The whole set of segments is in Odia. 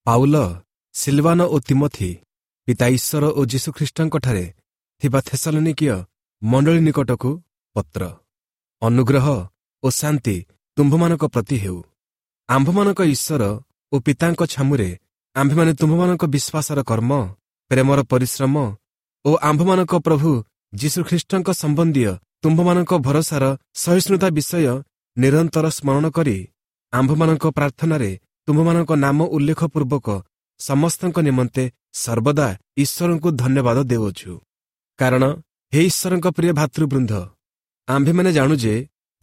ପାଉଲ, ସିଲବାନ ଓ ତିମୋଥି ପିତା ଈଶ୍ୱର ଓ ଯୀଶୁଖ୍ରୀଷ୍ଟଙ୍କଠାରେ ଥିବା ଥେସଲନୀକୀୟ ମଣ୍ଡଳୀ ନିକଟକୁ ପତ୍ର। ଅନୁଗ୍ରହ ଓ ଶାନ୍ତି ତୁମ୍ଭମାନଙ୍କ ପ୍ରତି ହେଉ। ଆମ୍ଭମାନଙ୍କ ଈଶ୍ୱର ଓ ପିତାଙ୍କ ଛାମୁରେ ଆମ୍ଭେମାନେ ତୁମ୍ଭମାନଙ୍କ ବିଶ୍ୱାସର କର୍ମ, ପ୍ରେମର ପରିଶ୍ରମ ଓ ଆମ୍ଭମାନଙ୍କ ପ୍ରଭୁ ଯୀଶୁଖ୍ରୀଷ୍ଟଙ୍କ ସମ୍ବନ୍ଧୀୟ ତୁମ୍ଭମାନଙ୍କ ଭରସାର ସହିଷ୍ଣୁତା ବିଷୟ ନିରନ୍ତର ସ୍ମରଣ କରି ଆମ୍ଭମାନଙ୍କ ପ୍ରାର୍ଥନାରେ ତୁମ୍ଭମାନଙ୍କ ନାମ ଉଲ୍ଲେଖ ପୂର୍ବକ ସମସ୍ତଙ୍କ ନିମନ୍ତେ ସର୍ବଦା ଈଶ୍ୱରଙ୍କୁ ଧନ୍ୟବାଦ ଦେଉଅଛୁ। କାରଣ ହେ ଈଶ୍ୱରଙ୍କ ପ୍ରିୟ ଭାତୃବୃନ୍ଦ, ଆମ୍ଭେମାନେ ଜାଣୁ ଯେ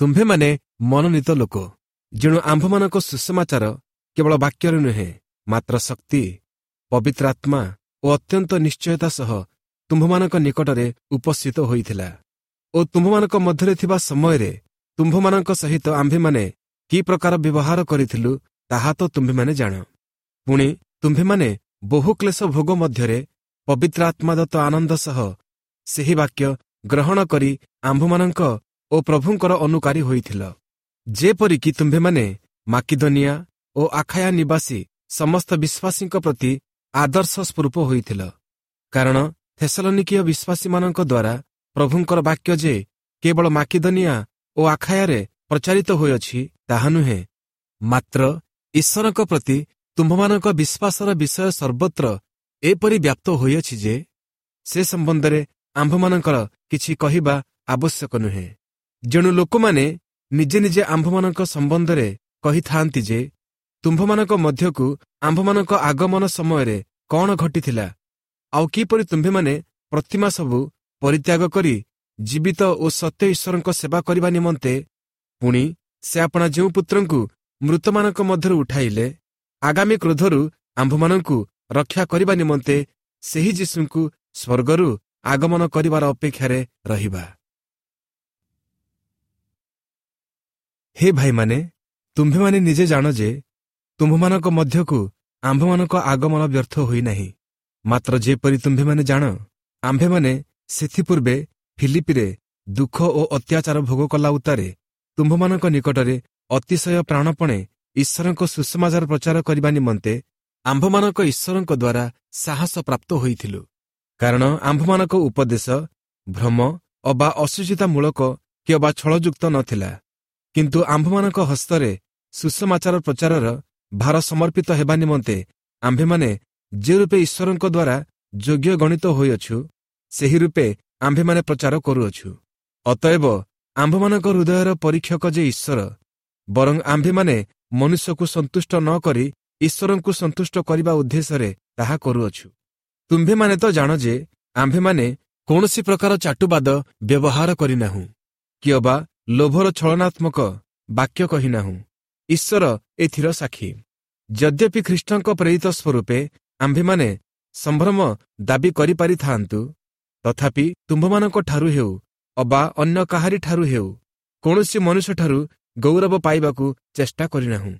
ତୁମ୍ଭେମାନେ ମନୋନୀତ ଲୋକ। ଯେଣୁ ଆମ୍ଭମାନଙ୍କ ସୁସମାଚାର କେବଳ ବାକ୍ୟରେ ନୁହେଁ, ମାତ୍ର ଶକ୍ତି, ପବିତ୍ର ଆତ୍ମା ଓ ଅତ୍ୟନ୍ତ ନିଶ୍ଚୟତା ସହ ତୁମ୍ଭମାନଙ୍କ ନିକଟରେ ଉପସ୍ଥିତ ହୋଇଥିଲା ଓ ତୁମ୍ଭମାନଙ୍କ ମଧ୍ୟରେ ଥିବା ସମୟରେ ତୁମ୍ଭମାନଙ୍କ ସହିତ ଆମ୍ଭେମାନେ କି ପ୍ରକାର ବ୍ୟବହାର କରିଥିଲୁ, ତାହା ତ ତୁମ୍ଭେମାନେ ଜାଣ। ପୁଣି ତୁମ୍ଭେମାନେ ବହୁ କ୍ଲେଶ ଭୋଗ ମଧ୍ୟରେ ପବିତ୍ର ଆତ୍ମାଦତ୍ତ ଆନନ୍ଦ ସହ ସେହି ବାକ୍ୟ ଗ୍ରହଣ କରି ଆମ୍ଭମାନଙ୍କ ଓ ପ୍ରଭୁଙ୍କର ଅନୁକାରୀ ହୋଇଥିଲ। ଯେପରିକି ତୁମ୍ଭେମାନେ ମାକିଦନିଆ ଓ ଆଖାୟା ନିବାସୀ ସମସ୍ତ ବିଶ୍ୱାସୀଙ୍କ ପ୍ରତି ଆଦର୍ଶ ସ୍ୱରୂପ ହୋଇଥିଲ। କାରଣ ଥେସଲନିକୀୟ ବିଶ୍ୱାସୀମାନଙ୍କ ଦ୍ୱାରା ପ୍ରଭୁଙ୍କର ବାକ୍ୟ ଯେ କେବଳ ମାକିଦନିଆ ଓ ଆଖାୟାରେ ପ୍ରଚାରିତ ହୋଇଅଛି ତାହା ନୁହେଁ, ମାତ୍ର ଈଶ୍ୱରଙ୍କ ପ୍ରତି ତୁମ୍ଭମାନଙ୍କ ବିଶ୍ୱାସର ବିଷୟ ସର୍ବତ୍ର ଏପରି ବ୍ୟାପ୍ତ ହୋଇଅଛି ଯେ ସେ ସମ୍ବନ୍ଧରେ ଆମ୍ଭମାନଙ୍କର କିଛି କହିବା ଆବଶ୍ୟକ ନୁହେଁ। ଯେଣୁ ଲୋକମାନେ ନିଜେ ନିଜେ ଆମ୍ଭମାନଙ୍କ ସମ୍ବନ୍ଧରେ କହିଥାନ୍ତି ଯେ ତୁମ୍ଭମାନଙ୍କ ମଧ୍ୟକୁ ଆମ୍ଭମାନଙ୍କ ଆଗମନ ସମୟରେ କ'ଣ ଘଟିଥିଲା, ଆଉ କିପରି ତୁମ୍ଭେମାନେ ପ୍ରତିମା ସବୁ ପରିତ୍ୟାଗ କରି ଜୀବିତ ଓ ସତ୍ୟ ଈଶ୍ୱରଙ୍କ ସେବା କରିବା ନିମନ୍ତେ, ପୁଣି ସେ ଆପଣା ଯେଉଁ ପୁତ୍ରଙ୍କୁ ମୃତମାନଙ୍କ ମଧ୍ୟରୁ ଉଠାଇଲେ, ଆଗାମୀ କ୍ରୋଧରୁ ଆମ୍ଭମାନଙ୍କୁ ରକ୍ଷା କରିବା ନିମନ୍ତେ ସେହି ଯୀଶୁଙ୍କୁ ସ୍ୱର୍ଗରୁ ଆଗମନ କରିବାର ଅପେକ୍ଷାରେ ରହିବା। ହେ ଭାଇମାନେ, ତୁମ୍ଭେମାନେ ନିଜେ ଜାଣ ଯେ ତୁମ୍ଭମାନଙ୍କ ମଧ୍ୟକୁ ଆମ୍ଭମାନଙ୍କ ଆଗମନ ବ୍ୟର୍ଥ ହୋଇନାହିଁ। ମାତ୍ର ଯେପରି ତୁମ୍ଭେମାନେ ଜାଣ, ଆମ୍ଭେମାନେ ସେଥିପୂର୍ବେ ଫିଲିପିରେ ଦୁଃଖ ଓ ଅତ୍ୟାଚାର ଭୋଗ କଲା ଉତ୍ତାରେ ତୁମ୍ଭମାନଙ୍କ ନିକଟରେ ଅତିଶୟ ପ୍ରାଣପଣେ ଈଶ୍ୱରଙ୍କ ସୁସମାଚାର ପ୍ରଚାର କରିବା ନିମନ୍ତେ ଆମ୍ଭମାନଙ୍କ ଈଶ୍ୱରଙ୍କ ଦ୍ୱାରା ସାହସ ପ୍ରାପ୍ତ ହୋଇଥିଲୁ। କାରଣ ଆମ୍ଭମାନଙ୍କ ଉପଦେଶ ଭ୍ରମ ଅବା ଅଶୁଚିତାମୂଳକ କିମ୍ବା ଛଳଯୁକ୍ତ ନଥିଲା, କିନ୍ତୁ ଆମ୍ଭମାନଙ୍କ ହସ୍ତରେ ସୁସମାଚାର ପ୍ରଚାରର ଭାର ସମର୍ପିତ ହେବା ନିମନ୍ତେ ଆମ୍ଭେମାନେ ଯେ ରୂପେ ଈଶ୍ୱରଙ୍କ ଦ୍ୱାରା ଯୋଗ୍ୟ ଗଣିତ ହୋଇଅଛୁ, ସେହି ରୂପେ ଆମ୍ଭେମାନେ ପ୍ରଚାର କରୁଅଛୁ। ଅତଏବ ଆମ୍ଭମାନଙ୍କ ହୃଦୟର ପରୀକ୍ଷକ ଯେ ଈଶ୍ୱର, ବରଂ ଆମ୍ଭେମାନେ ମନୁଷ୍ୟକୁ ସନ୍ତୁଷ୍ଟ ନ କରି ଈଶ୍ୱରଙ୍କୁ ସନ୍ତୁଷ୍ଟ କରିବା ଉଦ୍ଦେଶ୍ୟରେ ତାହା କରୁଅଛୁ। ତୁମ୍ଭେମାନେ ତ ଜାଣ ଯେ ଆମ୍ଭେମାନେ କୌଣସି ପ୍ରକାର ଚାଟୁବାଦ ବ୍ୟବହାର କରିନାହୁଁ କିଅବା ଲୋଭର ଛଳନାତ୍ମକ ବାକ୍ୟ କହିନାହୁଁ। ଈଶ୍ୱର ଏଥିର ସାକ୍ଷୀ। ଯଦ୍ୟପି ଖ୍ରୀଷ୍ଟଙ୍କ ପ୍ରେରିତ ସ୍ୱରୂପେ ଆମ୍ଭେମାନେ ସମ୍ଭ୍ରମ ଦାବି କରିପାରିଥାନ୍ତୁ, ତଥାପି ତୁମ୍ଭମାନଙ୍କଠାରୁ ହେଉ ଅବା ଅନ୍ୟ କାହାରିଠାରୁ ହେଉ କୌଣସି ମନୁଷ୍ୟଠାରୁ ଗୌରବ ପାଇବାକୁ ଚେଷ୍ଟା କରିନାହୁଁ।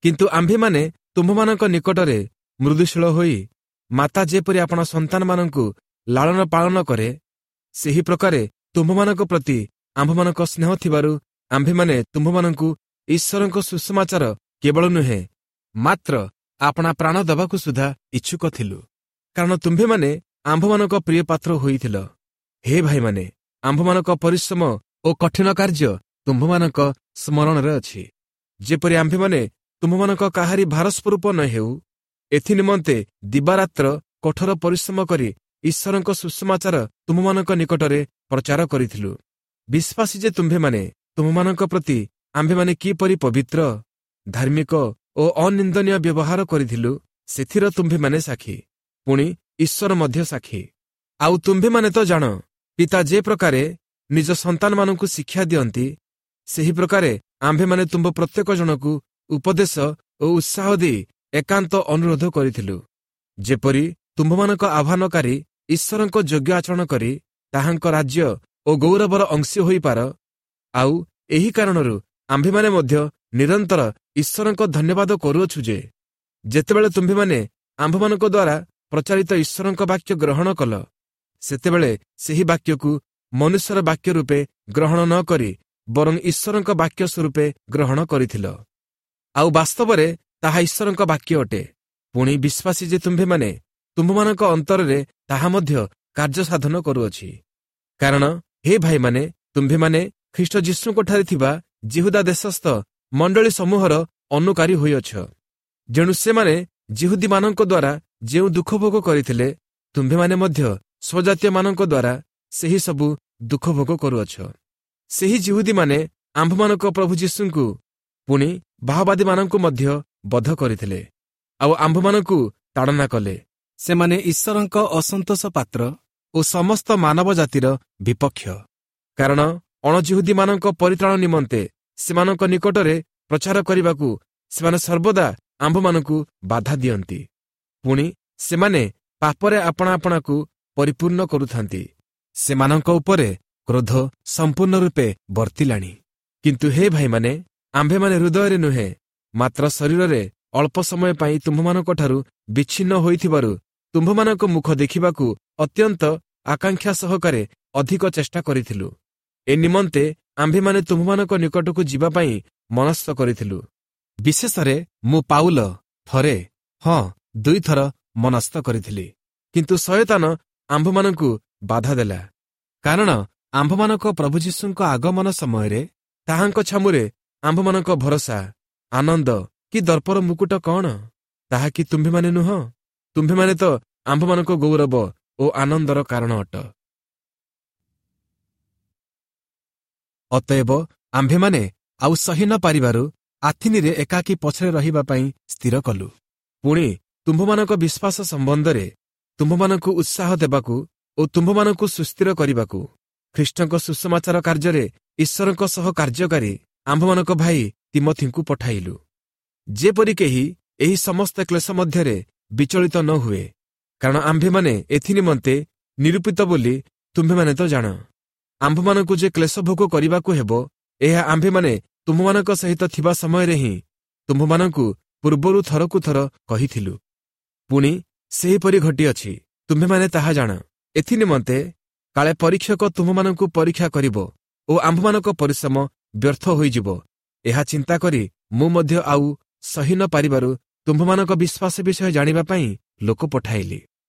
କିନ୍ତୁ ଆମ୍ଭେମାନେ ତୁମ୍ଭମାନଙ୍କ ନିକଟରେ ମୃଦୁଶୀଳ ହୋଇ ମାତା ଯେପରି ଆପଣା ସନ୍ତାନମାନଙ୍କୁ ଲାଳନ ପାଳନ କରେ, ସେହି ପ୍ରକାରେ ତୁମ୍ଭମାନଙ୍କ ପ୍ରତି ଆମ୍ଭମାନଙ୍କ ସ୍ନେହ ଥିବାରୁ ଆମ୍ଭେମାନେ ତୁମ୍ଭମାନଙ୍କୁ ଈଶ୍ୱରଙ୍କ ସୁସମାଚାର କେବଳ ନୁହେଁ, ମାତ୍ର ଆପଣା ପ୍ରାଣ ଦେବାକୁ ସୁଦ୍ଧା ଇଚ୍ଛୁକ ଥିଲୁ। କାରଣ ତୁମ୍ଭେମାନେ ଆମ୍ଭମାନଙ୍କ ପ୍ରିୟ ପାତ୍ର ହୋଇଥିଲ। ହେ ଭାଇମାନେ, ଆମ୍ଭମାନଙ୍କ ପରିଶ୍ରମ ଓ କଠିନ କାର୍ଯ୍ୟ ତୁମ୍ଭମାନଙ୍କ ସ୍ମରଣରେ ଅଛି। ଯେପରି ଆମ୍ଭେମାନେ ତୁମ୍ଭମାନଙ୍କ କାହାରି ଭାରସ୍ୱରୂପ ନ ହେଉ, ଏଥି ନିମନ୍ତେ ଦିବାରାତ୍ର କଠୋର ପରିଶ୍ରମ କରି ଈଶ୍ୱରଙ୍କ ସୁସମାଚାର ତୁମ୍ଭମାନଙ୍କ ନିକଟରେ ପ୍ରଚାର କରିଥିଲୁ। ବିଶ୍ୱାସୀ ଯେ ତୁମ୍ଭେମାନେ ତୁମ୍ଭମାନଙ୍କ ପ୍ରତି ଆମ୍ଭେମାନେ କିପରି ପବିତ୍ର, ଧାର୍ମିକ ଓ ଅନିନ୍ଦନୀୟ ବ୍ୟବହାର କରିଥିଲୁ, ସେଥିର ତୁମ୍ଭେମାନେ ସାକ୍ଷୀ, ପୁଣି ଈଶ୍ୱର ମଧ୍ୟ ସାକ୍ଷୀ। ଆଉ ତୁମ୍ଭେମାନେ ତ ଜାଣ, ପିତା ଯେ ପ୍ରକାରେ ନିଜ ସନ୍ତାନମାନଙ୍କୁ ଶିକ୍ଷା ଦିଅନ୍ତି, ସେହି ପ୍ରକାରେ ଆମ୍ଭେମାନେ ତୁମ୍ଭ ପ୍ରତ୍ୟେକ ଜଣକୁ ଉପଦେଶ ଓ ଉତ୍ସାହ ଦେଇ ଏକାନ୍ତ ଅନୁରୋଧ କରିଥିଲୁ, ଯେପରି ତୁମ୍ଭମାନଙ୍କ ଆହ୍ୱାନକାରୀ ଈଶ୍ୱରଙ୍କ ଯୋଗ୍ୟ ଆଚରଣ କରି ତାହାଙ୍କ ରାଜ୍ୟ ଓ ଗୌରବର ଅଂଶୀ ହୋଇପାର। ଆଉ ଏହି କାରଣରୁ ଆମ୍ଭେମାନେ ମଧ୍ୟ ନିରନ୍ତର ଈଶ୍ୱରଙ୍କ ଧନ୍ୟବାଦ କରୁଅଛୁ ଯେ ଯେତେବେଳେ ତୁମ୍ଭେମାନେ ଆମ୍ଭମାନଙ୍କ ଦ୍ୱାରା ପ୍ରଚାରିତ ଈଶ୍ୱରଙ୍କ ବାକ୍ୟ ଗ୍ରହଣ କଲ, ସେତେବେଳେ ସେହି ବାକ୍ୟକୁ ମନୁଷ୍ୟର ବାକ୍ୟ ରୂପେ ଗ୍ରହଣ ନ କରି ବରଂ ଈଶ୍ୱରଙ୍କ ବାକ୍ୟ ସ୍ୱରୂପେ ଗ୍ରହଣ କରିଥିଲ। ଆଉ ବାସ୍ତବରେ ତାହା ଈଶ୍ୱରଙ୍କ ବାକ୍ୟ ଅଟେ, ପୁଣି ବିଶ୍ୱାସୀ ଯେ ତୁମ୍ଭେମାନେ ତୁମ୍ଭମାନଙ୍କ ଅନ୍ତରରେ ତାହା ମଧ୍ୟ କାର୍ଯ୍ୟ ସାଧନ କରୁଅଛି। କାରଣ ହେ ଭାଇମାନେ, ତୁମ୍ଭେମାନେ ଖ୍ରୀଷ୍ଟ ଯୀଶୁଙ୍କଠାରେ ଥିବା ଜିହୁଦା ଦେଶସ୍ଥ ମଣ୍ଡଳୀ ସମୂହର ଅନୁକାରୀ ହୋଇଅଛ। ଯେଣୁ ସେମାନେ ଜିହୁଦୀମାନଙ୍କ ଦ୍ୱାରା ଯେଉଁ ଦୁଃଖ ଭୋଗ କରିଥିଲେ, ତୁମ୍ଭେମାନେ ମଧ୍ୟ ସ୍ୱଜାତୀୟମାନଙ୍କ ଦ୍ୱାରା ସେହି ସବୁ ଦୁଃଖ ଭୋଗ କରୁଅଛ। ସେହି ଜିହୁଦୀମାନେ ଆମ୍ଭମାନଙ୍କ ପ୍ରଭୁ ଯୀଶୁଙ୍କୁ ପୁଣି ଭାଓବାଦୀମାନଙ୍କୁ ମଧ୍ୟ ବଧ କରିଥିଲେ, ଆଉ ଆମ୍ଭମାନଙ୍କୁ ତାଡ଼ନା କଲେ। ସେମାନେ ଈଶ୍ୱରଙ୍କ ଅସନ୍ତୋଷ ପାତ୍ର ଓ ସମସ୍ତ ମାନବ ଜାତିର ବିପକ୍ଷ। କାରଣ ଅଣଜିହୁଦୀମାନଙ୍କ ପରିତ୍ରାଣ ନିମନ୍ତେ ସେମାନଙ୍କ ନିକଟରେ ପ୍ରଚାର କରିବାକୁ ସେମାନେ ସର୍ବଦା ଆମ୍ଭମାନଙ୍କୁ ବାଧା ଦିଅନ୍ତି। ପୁଣି ସେମାନେ ପାପରେ ଆପଣା ଆପଣାକୁ ପରିପୂର୍ଣ୍ଣ କରୁଥାନ୍ତି। ସେମାନଙ୍କ ଉପରେ କ୍ରୋଧ ସମ୍ପୂର୍ଣ୍ଣ ରୂପେ ବର୍ତ୍ତିଲାଣି। କିନ୍ତୁ ହେ ଭାଇମାନେ, ଆମ୍ଭେମାନେ ହୃଦୟରେ ନୁହେଁ, ମାତ୍ର ଶରୀରରେ ଅଳ୍ପ ସମୟ ପାଇଁ ତୁମ୍ଭମାନଙ୍କଠାରୁ ବିଚ୍ଛିନ୍ନ ହୋଇଥିବାରୁ ତୁମ୍ଭମାନଙ୍କ ମୁଖ ଦେଖିବାକୁ ଅତ୍ୟନ୍ତ ଆକାଂକ୍ଷା ସହକାରେ ଅଧିକ ଚେଷ୍ଟା କରିଥିଲୁ। ଏ ନିମନ୍ତେ ଆମ୍ଭେମାନେ ତୁମ୍ଭମାନଙ୍କ ନିକଟକୁ ଯିବା ପାଇଁ ମନସ୍ଥ କରିଥିଲୁ। ବିଶେଷରେ ମୁଁ ପାଉଲ ଥରେ, ହଁ ଦୁଇଥର ମନସ୍ଥ କରିଥିଲି, କିନ୍ତୁ ଶୟତାନ ଆମ୍ଭମାନଙ୍କୁ ବାଧା ଦେଲା। କାରଣ ଆମ୍ଭମାନଙ୍କ ପ୍ରଭୁ ଯୀଶୁଙ୍କ ଆଗମନ ସମୟରେ ତାହାଙ୍କ ଛାମୁରେ ଆମ୍ଭମାନଙ୍କ ଭରସା, ଆନନ୍ଦ କି ଦର୍ପର ମୁକୁଟ କ'ଣ? ତାହା କି ତୁମ୍ଭେମାନେ ନୁହଁ? ତୁମ୍ଭେମାନେ ତ ଆମ୍ଭମାନଙ୍କ ଗୌରବ ଓ ଆନନ୍ଦର କାରଣ ଅଟ। ଅତଏବ ଆମ୍ଭେମାନେ ଆଉ ସହି ନ ପାରିବାରୁ ଆଥିନିରେ ଏକାକୀ ପଛରେ ରହିବା ପାଇଁ ସ୍ଥିର କଲୁ। ପୁଣି ତୁମ୍ଭମାନଙ୍କ ବିଶ୍ୱାସ ସମ୍ବନ୍ଧରେ ତୁମ୍ଭମାନଙ୍କୁ ଉତ୍ସାହ ଦେବାକୁ ଓ ତୁମ୍ଭମାନଙ୍କୁ ସୁସ୍ଥିର କରିବାକୁ ଖ୍ରୀଷ୍ଟଙ୍କ ସୁସମାଚାର କାର୍ଯ୍ୟରେ ଈଶ୍ୱରଙ୍କ ସହ କାର୍ଯ୍ୟକାରୀ ଆମ୍ଭମାନଙ୍କ ଭାଇ ତିମଥିଙ୍କୁ ପଠାଇଲୁ, ଯେପରି କେହି ଏହି ସମସ୍ତ କ୍ଲେଶ ମଧ୍ୟରେ ବିଚଳିତ ନ ହୁଏ। କାରଣ ଆମ୍ଭେମାନେ ଏଥି ନିମନ୍ତେ ନିରୂପିତ ବୋଲି ତୁମ୍ଭେମାନେ ତ ଜାଣ। ଆମ୍ଭମାନଙ୍କୁ ଯେ କ୍ଲେଶ ଭୋଗ କରିବାକୁ ହେବ, ଏହା ଆମ୍ଭେମାନେ ତୁମ୍ଭମାନଙ୍କ ସହିତ ଥିବା ସମୟରେ ହିଁ ତୁମ୍ଭମାନଙ୍କୁ ପୂର୍ବରୁ ଥରକୁ ଥର କହିଥିଲୁ। ପୁଣି ସେହିପରି ଘଟିଅଛି, ତୁମ୍ଭେମାନେ ତାହା ଜାଣ। ଏଥି ନିମନ୍ତେ କାଳେ ପରୀକ୍ଷକ ତୁମ୍ଭମାନଙ୍କୁ ପରୀକ୍ଷା କରିବ ଓ ଆମ୍ଭମାନଙ୍କ ପରିଶ୍ରମ ବ୍ୟର୍ଥ ହୋଇଯିବ, ଏହା ଚିନ୍ତା କରି ମୁଁ ମଧ୍ୟ ଆଉ ସହି ନ ପାରିବାରୁ ତୁମ୍ଭମାନଙ୍କ ବିଶ୍ୱାସ ବିଷୟ ଜାଣିବା ପାଇଁ ଲୋକ ପଠାଇଲି।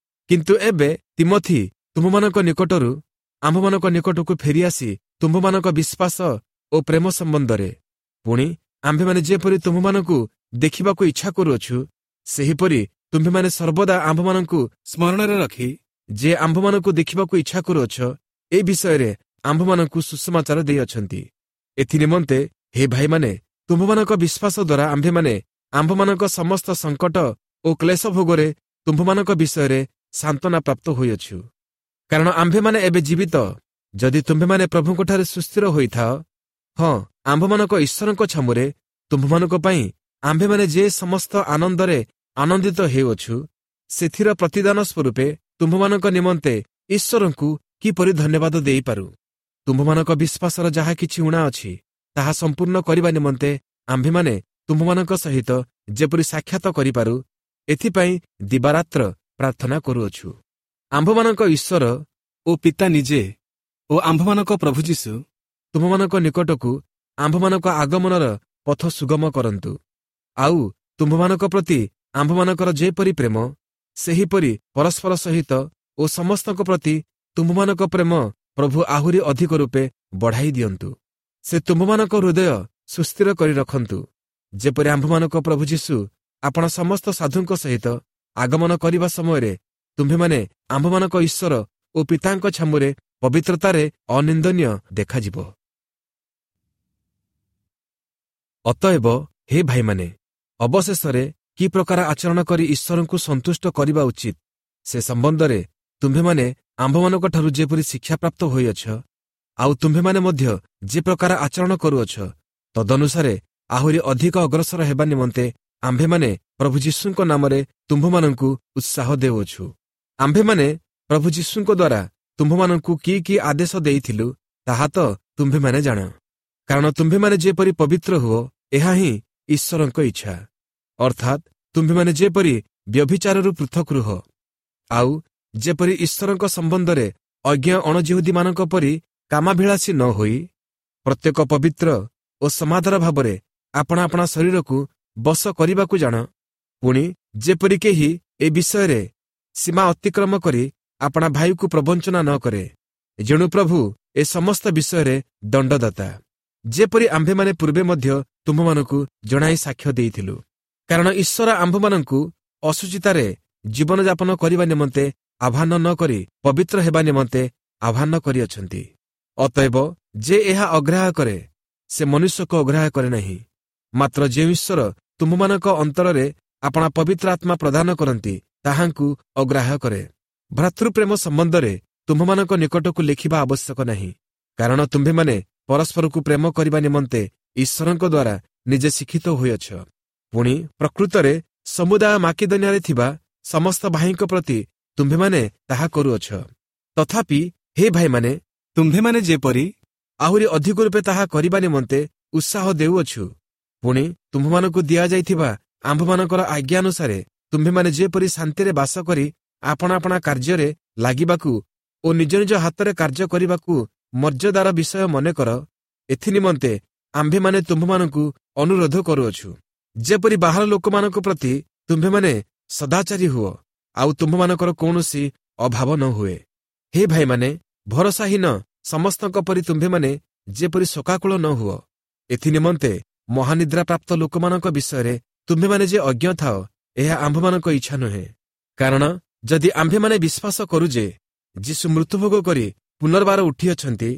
କିନ୍ତୁ ଏବେ ତିମୋଥି ତୁମ୍ଭମାନଙ୍କ ନିକଟରୁ ଆମ୍ଭମାନଙ୍କ ନିକଟକୁ ଫେରିଆସି ତୁମ୍ଭମାନଙ୍କ ବିଶ୍ୱାସ ଓ ପ୍ରେମ ସମ୍ବନ୍ଧରେ, ପୁଣି ଆମ୍ଭେମାନେ ଯେପରି ତୁମ୍ଭମାନଙ୍କୁ ଦେଖିବାକୁ ଇଚ୍ଛା କରୁଅଛୁ, ସେହିପରି ତୁମ୍ଭେମାନେ ସର୍ବଦା ଆମ୍ଭମାନଙ୍କୁ ସ୍ମରଣରେ ରଖି ଯେ ଆମ୍ଭମାନଙ୍କୁ ଦେଖିବାକୁ ଇଚ୍ଛା କରୁଅଛ, ଏ ବିଷୟରେ ଆମ୍ଭମାନଙ୍କୁ ସୁସମାଚାର ଦେଇଅଛନ୍ତି। ଏଥି ନିମନ୍ତେ ହେ ଭାଇମାନେ, ତୁମ୍ଭମାନଙ୍କ ବିଶ୍ୱାସ ଦ୍ୱାରା ଆମ୍ଭେମାନେ ଆମ୍ଭମାନଙ୍କ ସମସ୍ତ ସଙ୍କଟ ଓ କ୍ଲେଶ ଭୋଗରେ ତୁମ୍ଭମାନଙ୍କ ବିଷୟରେ ସାନ୍ତ୍ୱନା ପ୍ରାପ୍ତ ହୋଇଅଛୁ। କାରଣ ଆମ୍ଭେମାନେ ଏବେ ଜୀବିତ, ଯଦି ତୁମ୍ଭେମାନେ ପ୍ରଭୁଙ୍କଠାରେ ସୁସ୍ଥିର ହୋଇଥାଅ। ହଁ, ଆମ୍ଭମାନଙ୍କ ଈଶ୍ୱରଙ୍କ ଛାମୁରେ ତୁମ୍ଭମାନଙ୍କ ପାଇଁ ଆମ୍ଭେମାନେ ଯେ ସମସ୍ତ ଆନନ୍ଦରେ ଆନନ୍ଦିତ ହେଉଅଛୁ, ସେଥିର ପ୍ରତିଦାନ ସ୍ୱରୂପେ ତୁମ୍ଭମାନଙ୍କ ନିମନ୍ତେ ଈଶ୍ୱରଙ୍କୁ କିପରି ଧନ୍ୟବାଦ ଦେଇପାରୁ। ତୁମ୍ଭମାନଙ୍କ ବିଶ୍ୱାସର ଯାହା କିଛି ଊଣା ଅଛି, ତାହା ସମ୍ପୂର୍ଣ୍ଣ କରିବା ନିମନ୍ତେ ଆମ୍ଭେମାନେ ତୁମ୍ଭମାନଙ୍କ ସହିତ ଯେପରି ସାକ୍ଷାତ କରିପାରୁ, ଏଥିପାଇଁ ଦିବାରାତ୍ର ପ୍ରାର୍ଥନା କରୁଅଛୁ। ଆମ୍ଭମାନଙ୍କ ଈଶ୍ୱର ଓ ପିତା ନିଜେ ଓ ଆମ୍ଭମାନଙ୍କ ପ୍ରଭୁ ଯୀଶୁ ତୁମ୍ଭମାନଙ୍କ ନିକଟକୁ ଆମ୍ଭମାନଙ୍କ ଆଗମନର ପଥ ସୁଗମ କରନ୍ତୁ। ଆଉ ତୁମ୍ଭମାନଙ୍କ ପ୍ରତି ଆମ୍ଭମାନଙ୍କର ଯେପରି ପ୍ରେମ, ସେହିପରି ପରସ୍ପର ସହିତ ଓ ସମସ୍ତଙ୍କ ପ୍ରତି ତୁମ୍ଭମାନଙ୍କ ପ୍ରେମ ପ୍ରଭୁ ଆହୁରି ଅଧିକ ରୂପେ ବଢ଼ାଇ ଦିଅନ୍ତୁ। ସେ ତୁମ୍ଭମାନଙ୍କ ହୃଦୟ ସୁସ୍ଥିର କରି ରଖନ୍ତୁ, ଯେପରି ଆମ୍ଭମାନଙ୍କ ପ୍ରଭୁ ଯୀଶୁ ଆପଣ ସମସ୍ତ ସାଧୁଙ୍କ ସହିତ ଆଗମନ କରିବା ସମୟରେ ତୁମ୍ଭେମାନେ ଆମ୍ଭମାନଙ୍କ ଈଶ୍ୱର ଓ ପିତାଙ୍କ ଛାମୁରେ ପବିତ୍ରତାରେ ଅନିନ୍ଦନୀୟ ଦେଖାଯିବ। ଅତଏବ ହେ ଭାଇମାନେ, ଅବଶେଷରେ କି ପ୍ରକାର ଆଚରଣ କରି ଈଶ୍ୱରଙ୍କୁ ସନ୍ତୁଷ୍ଟ କରିବା ଉଚିତ, ସେ ସମ୍ବନ୍ଧରେ ତୁମ୍ଭେମାନେ ଆମ୍ଭମାନଙ୍କଠାରୁ ଯେପରି ଶିକ୍ଷାପ୍ରାପ୍ତ ହୋଇଅଛ, ଆଉ ତୁମ୍ଭେମାନେ ମଧ୍ୟ ଯେ ପ୍ରକାର ଆଚରଣ କରୁଅଛ, ତଦନୁସାରେ ଆହୁରି ଅଧିକ ଅଗ୍ରସର ହେବା ନିମନ୍ତେ ଆମ୍ଭେମାନେ ପ୍ରଭୁ ଯୀଶୁଙ୍କ ନାମରେ ତୁମ୍ଭମାନଙ୍କୁ ଉତ୍ସାହ ଦେଉଅଛୁ। ଆମ୍ଭେମାନେ ପ୍ରଭୁ ଯୀଶୁଙ୍କ ଦ୍ୱାରା ତୁମ୍ଭମାନଙ୍କୁ କି କି ଆଦେଶ ଦେଇଥିଲୁ, ତାହା ତ ତୁମ୍ଭେମାନେ ଜାଣ। କାରଣ ତୁମ୍ଭେମାନେ ଯେପରି ପବିତ୍ର ହୁଅ, ଏହା ହିଁ ଈଶ୍ୱରଙ୍କ ଇଚ୍ଛା। ଅର୍ଥାତ୍ ତୁମ୍ଭେମାନେ ଯେପରି ବ୍ୟଭିଚାରରୁ ପୃଥକ ରୁହ, ଆଉ ଯେପରି ଈଶ୍ୱରଙ୍କ ସମ୍ବନ୍ଧରେ ଅଜ୍ଞ ଅଣଜିହୁଦୀମାନଙ୍କ ପରି କାମାଭିଳାଷୀ ନ ହୋଇ ପ୍ରତ୍ୟେକ ପବିତ୍ର ଓ ସମାଦର ଭାବରେ ଆପଣା ଆପଣା ଶରୀରକୁ ବଶ କରିବାକୁ ଜାଣ, ପୁଣି ଯେପରି କେହି ଏ ବିଷୟରେ ସୀମା ଅତିକ୍ରମ କରି ଆପଣା ଭାଇକୁ ପ୍ରବଞ୍ଚନା ନ କରେ। ଯେଣୁ ପ୍ରଭୁ ଏ ସମସ୍ତ ବିଷୟରେ ଦଣ୍ଡଦାତା, ଯେପରି ଆମ୍ଭେମାନେ ପୂର୍ବେ ମଧ୍ୟ ତୁମ୍ଭମାନଙ୍କୁ ଜଣାଇ ସାକ୍ଷ୍ୟ ଦେଇଥିଲୁ। କାରଣ ଈଶ୍ୱର ଆମ୍ଭମାନଙ୍କୁ ଅଶୁଚିତାରେ ଜୀବନଯାପନ କରିବା ନିମନ୍ତେ ଆହ୍ୱାନ ନ କରି ପବିତ୍ର ହେବା ନିମନ୍ତେ ଆହ୍ୱାନ କରିଅଛନ୍ତି। ଅତଏବ ଯେ ଏହା ଅଗ୍ରାହ୍ୟ କରେ, ସେ ମନୁଷ୍ୟକୁ ଅଗ୍ରାହ୍ୟ କରେ ନାହିଁ, ମାତ୍ର ଯେଉଁ ଈଶ୍ୱର ତୁମ୍ଭମାନଙ୍କ ଅନ୍ତରରେ ଆପଣା ପବିତ୍ର ଆତ୍ମା ପ୍ରଦାନ କରନ୍ତି, ତାହାଙ୍କୁ ଅଗ୍ରାହ୍ୟ କରେ। ଭ୍ରାତୃପ୍ରେମ ସମ୍ବନ୍ଧରେ ତୁମ୍ଭମାନଙ୍କ ନିକଟକୁ ଲେଖିବା ଆବଶ୍ୟକ ନାହିଁ, କାରଣ ତୁମ୍ଭେମାନେ ପରସ୍ପରକୁ ପ୍ରେମ କରିବା ନିମନ୍ତେ ଈଶ୍ୱରଙ୍କ ଦ୍ୱାରା ନିଜେ ଶିକ୍ଷିତ ହୋଇଅଛ। ପୁଣି ପ୍ରକୃତରେ ସମୁଦାୟ ମାକିଦନିଆରେ ଥିବା ସମସ୍ତ ଭାଇଙ୍କ ପ୍ରତି ତୁମ୍ଭେମାନେ ତାହା କରୁଅଛ। ତଥାପି ହେ ଭାଇମାନେ, ତୁମ୍ଭେମାନେ ଯେପରି ଆହୁରି ଅଧିକ ରୂପେ ତାହା କରିବା ନିମନ୍ତେ ଉତ୍ସାହ ଦେଉଅଛୁ, ପୁଣି ତୁମ୍ଭମାନଙ୍କୁ ଦିଆଯାଇଥିବା ଆମ୍ଭମାନଙ୍କର ଆଜ୍ଞାନୁସାରେ ତୁମ୍ଭେମାନେ ଯେପରି ଶାନ୍ତିରେ ବାସ କରି ଆପଣା ଆପଣା କାର୍ଯ୍ୟରେ ଲାଗିବାକୁ ଓ ନିଜ ନିଜ ହାତରେ କାର୍ଯ୍ୟ କରିବାକୁ ମର୍ଯ୍ୟାଦାର ବିଷୟ ମନେକର, ଏଥିନିମନ୍ତେ ଆମ୍ଭେମାନେ ତୁମ୍ଭମାନଙ୍କୁ ଅନୁରୋଧ କରୁଅଛୁ। ଯେପରି ବାହାର ଲୋକମାନଙ୍କ ପ୍ରତି ତୁମ୍ଭେମାନେ ସଦାଚାରୀ ହୁଅ, ଆଉ ତୁମ୍ଭମାନଙ୍କର କୌଣସି ଅଭାବ ନ ହୁଏ। ହେ ଭାଇମାନେ, ଭରସାହୀନ ସମସ୍ତଙ୍କ ପରି ତୁମ୍ଭେମାନେ ଯେପରି ଶୋକାକୁଳ ନ ହୁଅ, ଏଥିନିମନ୍ତେ ମହାନିଦ୍ରାପ୍ରାପ୍ତ ଲୋକମାନଙ୍କ ବିଷୟରେ ତୁମ୍ଭେମାନେ ଯେ ଅଜ୍ଞ ଥାଅ, ଏହା ଆମ୍ଭମାନଙ୍କ ଇଚ୍ଛା ନୁହେଁ। କାରଣ ଯଦି ଆମ୍ଭେମାନେ ବିଶ୍ୱାସ କରୁ ଯେ ଯୀଶୁ ମୃତ୍ୟୁଭୋଗ କରି ପୁନର୍ବାର ଉଠିଅଛନ୍ତି,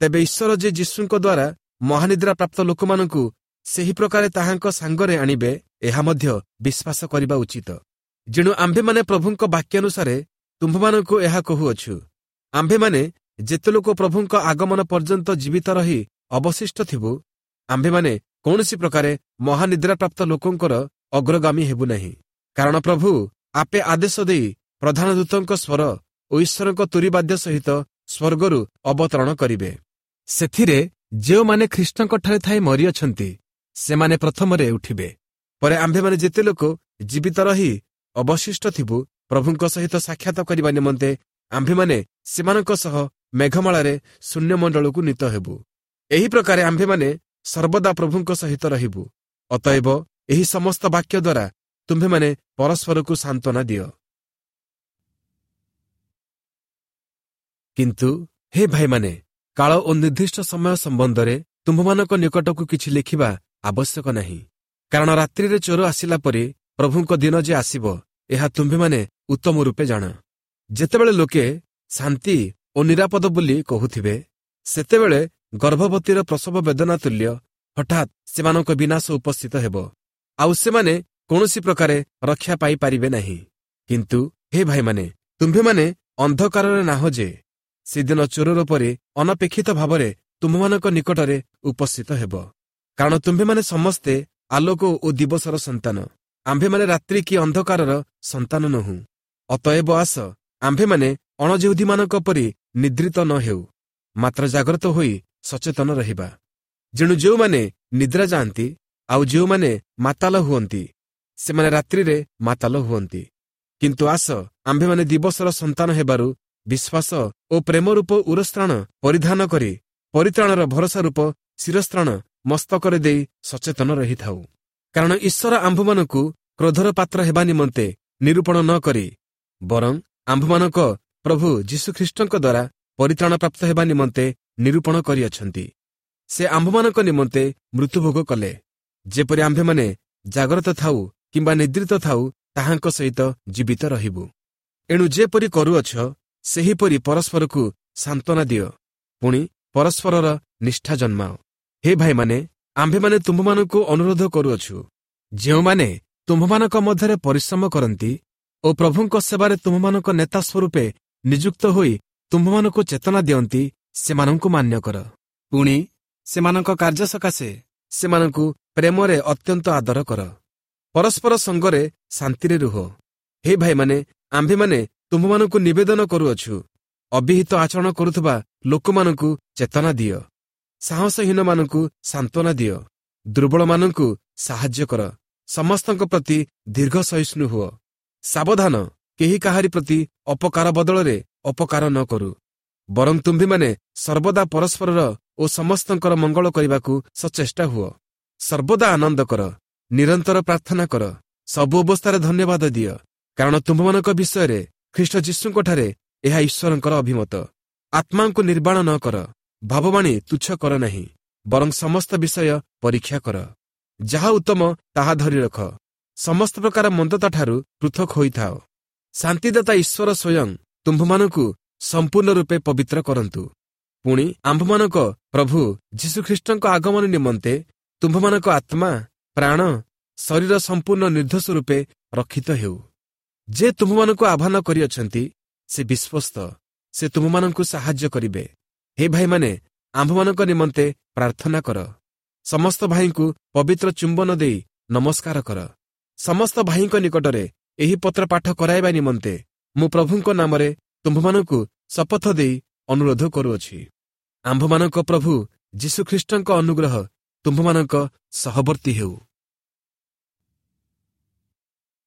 ତେବେ ଈଶ୍ୱର ଯେ ଯୀଶୁଙ୍କ ଦ୍ୱାରା ମହାନିଦ୍ରାପ୍ରାପ୍ତ ଲୋକମାନଙ୍କୁ ସେହି ପ୍ରକାରେ ତାହାଙ୍କ ସାଙ୍ଗରେ ଆଣିବେ, ଏହା ମଧ୍ୟ ବିଶ୍ୱାସ କରିବା ଉଚିତ। ଯେଣୁ ଆମ୍ଭେମାନେ ପ୍ରଭୁଙ୍କ ବାକ୍ୟାନୁସାରେ ତୁମ୍ଭମାନଙ୍କୁ ଏହା କହୁଅଛୁ, ଆମ୍ଭେମାନେ ଯେତେ ଲୋକ ପ୍ରଭୁଙ୍କ ଆଗମନ ପର୍ଯ୍ୟନ୍ତ ଜୀବିତ ରହି ଅବଶିଷ୍ଟ ଥିବୁ, ଆମ୍ଭେମାନେ କୌଣସି ପ୍ରକାରେ ମହାନିଦ୍ରାପ୍ରାପ୍ତ ଲୋକଙ୍କର ଅଗ୍ରଗାମୀ ହେବୁ ନାହିଁ। କାରଣ ପ୍ରଭୁ ଆପେ ଆଦେଶ ଦେଇ ପ୍ରଧାନ ଦୂତଙ୍କ ସ୍ୱର ଓ ଈଶ୍ୱରଙ୍କ ତୁରୀବାଦ୍ୟ ସହିତ ସ୍ୱର୍ଗରୁ ଅବତରଣ କରିବେ। ସେଥିରେ ଯେଉଁମାନେ ଖ୍ରୀଷ୍ଟଙ୍କଠାରେ ଥାଇ ମରିଅଛନ୍ତି, ସେମାନେ ପ୍ରଥମରେ ଉଠିବେ। ପରେ ଆମ୍ଭେମାନେ ଯେତେ ଲୋକ ଜୀବିତ ରହି ଅବଶିଷ୍ଟ ଥିବୁ, ପ୍ରଭୁଙ୍କ ସହିତ ସାକ୍ଷାତ କରିବା ନିମନ୍ତେ ଆମ୍ଭେମାନେ ସେମାନଙ୍କ ସହ ମେଘମାଳାରେ ଶୂନ୍ୟମଣ୍ଡଳକୁ ନୀତ ହେବୁ। ଏହି ପ୍ରକାରେ ଆମ୍ଭେମାନେ ସର୍ବଦା ପ୍ରଭୁଙ୍କ ସହିତ ରହିବୁ। ଅତଏବ ଏହି ସମସ୍ତ ବାକ୍ୟ ଦ୍ୱାରା ତୁମ୍ଭେମାନେ ପରସ୍ପରକୁ ସାନ୍ତ୍ୱନା ଦିଅ। କିନ୍ତୁ ହେ ଭାଇମାନେ, କାଳ ଓ ନିର୍ଦ୍ଦିଷ୍ଟ ସମୟ ସମ୍ବନ୍ଧରେ ତୁମ୍ଭମାନଙ୍କ ନିକଟକୁ କିଛି ଲେଖିବା ଆବଶ୍ୟକ ନାହିଁ। କାରଣ ରାତ୍ରିରେ ଚୋର ଆସିଲା ପରି ପ୍ରଭୁଙ୍କ ଦିନ ଯେ ଆସିବ, ଏହା ତୁମ୍ଭେମାନେ ଉତ୍ତମ ରୂପେ ଜାଣ। ଯେତେବେଳେ ଲୋକେ ଶାନ୍ତି ଓ ନିରାପଦ ବୋଲି କହୁଥିବେ, ସେତେବେଳେ ଗର୍ଭବତୀର ପ୍ରସବ ବେଦନା ତୁଲ୍ୟ ହଠାତ୍ ସେମାନଙ୍କ ବିନାଶ ଉପସ୍ଥିତ ହେବ, ଆଉ ସେମାନେ କୌଣସି ପ୍ରକାରେ ରକ୍ଷା ପାଇପାରିବେ ନାହିଁ। କିନ୍ତୁ ହେ ଭାଇମାନେ, ତୁମ୍ଭେମାନେ ଅନ୍ଧକାରରେ ନାହଁ ଯେ ସେଦିନ ଚୋରର ପରି ଅନପେକ୍ଷିତ ଭାବରେ ତୁମ୍ଭମାନଙ୍କ ନିକଟରେ ଉପସ୍ଥିତ ହେବ। କାରଣ ତୁମ୍ଭେମାନେ ସମସ୍ତେ ଆଲୋକ ଓ ଦିବସର ସନ୍ତାନ, ଆମ୍ଭେମାନେ ରାତ୍ରି କି ଅନ୍ଧକାରର ସନ୍ତାନ ନୋହୁଁ। ଅତଏବ ଆସ, ଆମ୍ଭେମାନେ ଅଣଯେହୁଦୀମାନଙ୍କ ପରି ନିଦ୍ରିତ ନ ହେଉ, ମାତ୍ର ଜାଗ୍ରତ ହୋଇ ସଚେତନ ରହିବା। ଯେଣୁ ଯେଉଁମାନେ ନିଦ୍ରା ଯାଆନ୍ତି ଆଉ ଯେଉଁମାନେ ମାତାଲ ହୁଅନ୍ତି, ସେମାନେ ରାତ୍ରିରେ ମାତାଲ ହୁଅନ୍ତି। କିନ୍ତୁ ଆସ, ଆମ୍ଭେମାନେ ଦିବସର ସନ୍ତାନ ହେବାରୁ ବିଶ୍ୱାସ ଓ ପ୍ରେମରୂପ ଉରସ୍ତ୍ରାଣ ପରିଧାନ କରି ପରିତ୍ରାଣର ଭରସା ରୂପ ଶିରସ୍ତ୍ରାଣ ମସ୍ତକରେ ଦେଇ ସଚେତନ ରହିଥାଉ। କାରଣ ଈଶ୍ୱର ଆମ୍ଭମାନଙ୍କୁ କ୍ରୋଧର ପାତ୍ର ହେବା ନିମନ୍ତେ ନିରୂପଣ ନ କରି ବରଂ ଆମ୍ଭମାନଙ୍କ ପ୍ରଭୁ ଯୀଶୁଖ୍ରୀଷ୍ଟଙ୍କ ଦ୍ୱାରା ପରିତ୍ରାଣ ପ୍ରାପ୍ତ ହେବା ନିମନ୍ତେ ନିରୂପଣ କରିଅଛନ୍ତି। ସେ ଆମ୍ଭମାନଙ୍କ ନିମନ୍ତେ ମୃତ୍ୟୁଭୋଗ କଲେ, ଯେପରି ଆମ୍ଭେମାନେ ଜାଗ୍ରତ ଥାଉ କିମ୍ବା ନିଦ୍ରିତ ଥାଉ, ତାହାଙ୍କ ସହିତ ଜୀବିତ ରହିବୁ। ଏଣୁ ଯେପରି କରୁଅଛ, ସେହିପରି ପରସ୍ପରକୁ ସାନ୍ତ୍ୱନା ଦିଅ, ପୁଣି ପରସ୍ପରର ନିଷ୍ଠା ଜନ୍ମାଅ। ହେ ଭାଇମାନେ, ଆମ୍ଭେମାନେ ତୁମ୍ଭମାନଙ୍କୁ ଅନୁରୋଧ କରୁଅଛୁ, ଯେଉଁମାନେ ତୁମ୍ଭମାନଙ୍କ ମଧ୍ୟରେ ପରିଶ୍ରମ କରନ୍ତି ଓ ପ୍ରଭୁଙ୍କ ସେବାରେ ତୁମ୍ଭମାନଙ୍କ ନେତା ସ୍ୱରୂପେ ନିଯୁକ୍ତ ହୋଇ ତୁମ୍ଭମାନଙ୍କୁ ଚେତନା ଦିଅନ୍ତି, ସେମାନଙ୍କୁ ମାନ୍ୟ କର। ପୁଣି ସେମାନଙ୍କ କାର୍ଯ୍ୟ ସକାଶେ ସେମାନଙ୍କୁ ପ୍ରେମରେ ଅତ୍ୟନ୍ତ ଆଦର କର। ପରସ୍ପର ସଙ୍ଗରେ ଶାନ୍ତିରେ ରୁହ। ହେ ଭାଇମାନେ, ଆମ୍ଭେମାନେ ତୁମ୍ଭମାନଙ୍କୁ ନିବେଦନ କରୁଅଛୁ, ଅବିହିତ ଆଚରଣ କରୁଥିବା ଲୋକମାନଙ୍କୁ ଚେତନା ଦିଅ, ସାହସହୀନମାନଙ୍କୁ ସାନ୍ତ୍ୱନା ଦିଅ, ଦୁର୍ବଳମାନଙ୍କୁ ସାହାଯ୍ୟ କର, ସମସ୍ତଙ୍କ ପ୍ରତି ଦୀର୍ଘ ସହିଷ୍ଣୁ ହୁଅ। ସାବଧାନ, କେହି କାହାରି ପ୍ରତି ଅପକାର ବଦଳରେ ଅପକାର ନ କରୁ, ବରଂ ତୁମ୍ଭେମାନେ ସର୍ବଦା ପରସ୍ପରର ଓ ସମସ୍ତଙ୍କର ମଙ୍ଗଳ କରିବାକୁ ସଚେଷ୍ଟା ହୁଅ। ସର୍ବଦା ଆନନ୍ଦ କର, ନିରନ୍ତର ପ୍ରାର୍ଥନା କର, ସବୁ ଅବସ୍ଥାରେ ଧନ୍ୟବାଦ ଦିଅ, କାରଣ ତୁମ୍ଭମାନଙ୍କ ବିଷୟରେ ଖ୍ରୀଷ୍ଟ ଯୀଶୁଙ୍କଠାରେ ଏହା ଈଶ୍ୱରଙ୍କର ଅଭିମତ। ଆତ୍ମାଙ୍କୁ ନିର୍ବାଣ ନ କର, ଭାବବାଣୀ ତୁଚ୍ଛ କର ନାହିଁ, ବରଂ ସମସ୍ତ ବିଷୟ ପରୀକ୍ଷା କର। ଯାହା ଉତ୍ତମ ତାହା ଧରି ରଖ। ସମସ୍ତ ପ୍ରକାର ମନ୍ଦତାଠାରୁ ପୃଥକ ହୋଇଥାଅ। ଶାନ୍ତିଦାତା ଈଶ୍ୱର ସ୍ୱୟଂ ତୁମ୍ଭମାନଙ୍କୁ ସମ୍ପୂର୍ଣ୍ଣ ରୂପେ ପବିତ୍ର କରନ୍ତୁ। ପୁଣି ଆମ୍ଭମାନଙ୍କ ପ୍ରଭୁ ଯୀଶୁଖ୍ରୀଷ୍ଟଙ୍କ ଆଗମନ ନିମନ୍ତେ ତୁମ୍ଭମାନଙ୍କ ଆତ୍ମା, ପ୍ରାଣ, ଶରୀର ସମ୍ପୂର୍ଣ୍ଣ ନିର୍ଦ୍ଦୋଷ ରୂପେ ରକ୍ଷିତ ହେଉ। ଯେ ତୁମ୍ଭମାନଙ୍କୁ ଆହ୍ୱାନ କରିଅଛନ୍ତି ସେ ବିଶ୍ୱସ୍ତ, ସେ ତୁମ୍ଭମାନଙ୍କୁ ସାହାଯ୍ୟ କରିବେ। ହେ ଭାଇମାନେ, ଆମ୍ଭମାନଙ୍କ ନିମନ୍ତେ ପ୍ରାର୍ଥନା କର। ସମସ୍ତ ଭାଇଙ୍କୁ ପବିତ୍ର ଚୁମ୍ବନ ଦେଇ ନମସ୍କାର କର। ସମସ୍ତ ଭାଇଙ୍କ ନିକଟରେ ଏହି ପତ୍ର ପାଠ କରାଇବା ନିମନ୍ତେ ମୁଁ ପ୍ରଭୁଙ୍କ ନାମରେ ତୁମ୍ଭମାନଙ୍କୁ ଶପଥ ଦେଇ ଅନୁରୋଧ କରୁଅଛି। ଆମ୍ଭମାନଙ୍କ ପ୍ରଭୁ ଯୀଶୁଖ୍ରୀଷ୍ଟଙ୍କ ଅନୁଗ୍ରହ ତୁମ୍ଭମାନଙ୍କ ସହବର୍ତ୍ତୀ ହେଉ।